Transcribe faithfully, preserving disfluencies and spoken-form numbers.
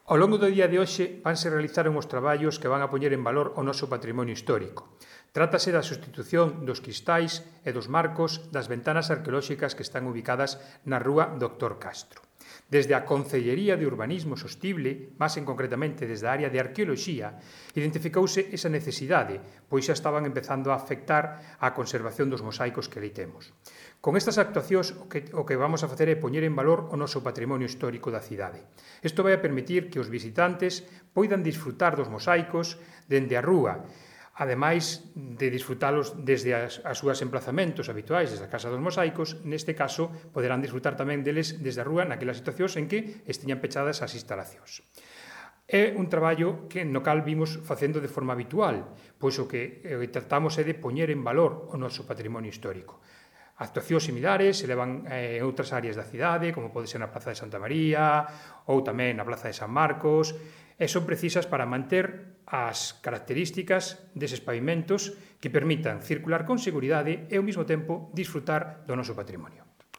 Ao longo do día de hoxe vanse realizar uns traballos que van a poñer en valor o noso patrimonio histórico. Trátase da sustitución dos cristais e dos marcos das ventanas arqueolóxicas que están ubicadas na rúa Doctor Castro. Desde a Concellería de Urbanismo Sostible, máis en concretamente desde a área de arqueoloxía, identificouse esa necesidade, pois xa estaban empezando a afectar a conservación dos mosaicos que ali temos. Con estas actuacións o que, o que vamos a facer é poñer en valor o noso patrimonio histórico da cidade. Isto vai a permitir que os visitantes poidan disfrutar dos mosaicos dende a rúa, ademais de disfrutalos desde as, as súas emplazamentos habituais, desde a Casa dos Mosaicos, neste caso poderán disfrutar tamén deles desde a rúa naquelas situacións en que estiñan pechadas as instalacións. É un traballo que no cal vimos facendo de forma habitual, pois o que eh, tratamos é de poñer en valor o noso patrimonio histórico. Actuacións similares se levan en outras áreas da cidade, como pode ser na Praza de Santa María ou tamén na Praza de San Marcos, e son precisas para manter as características deses pavimentos que permitan circular con seguridade e ao mesmo tempo disfrutar do noso patrimonio.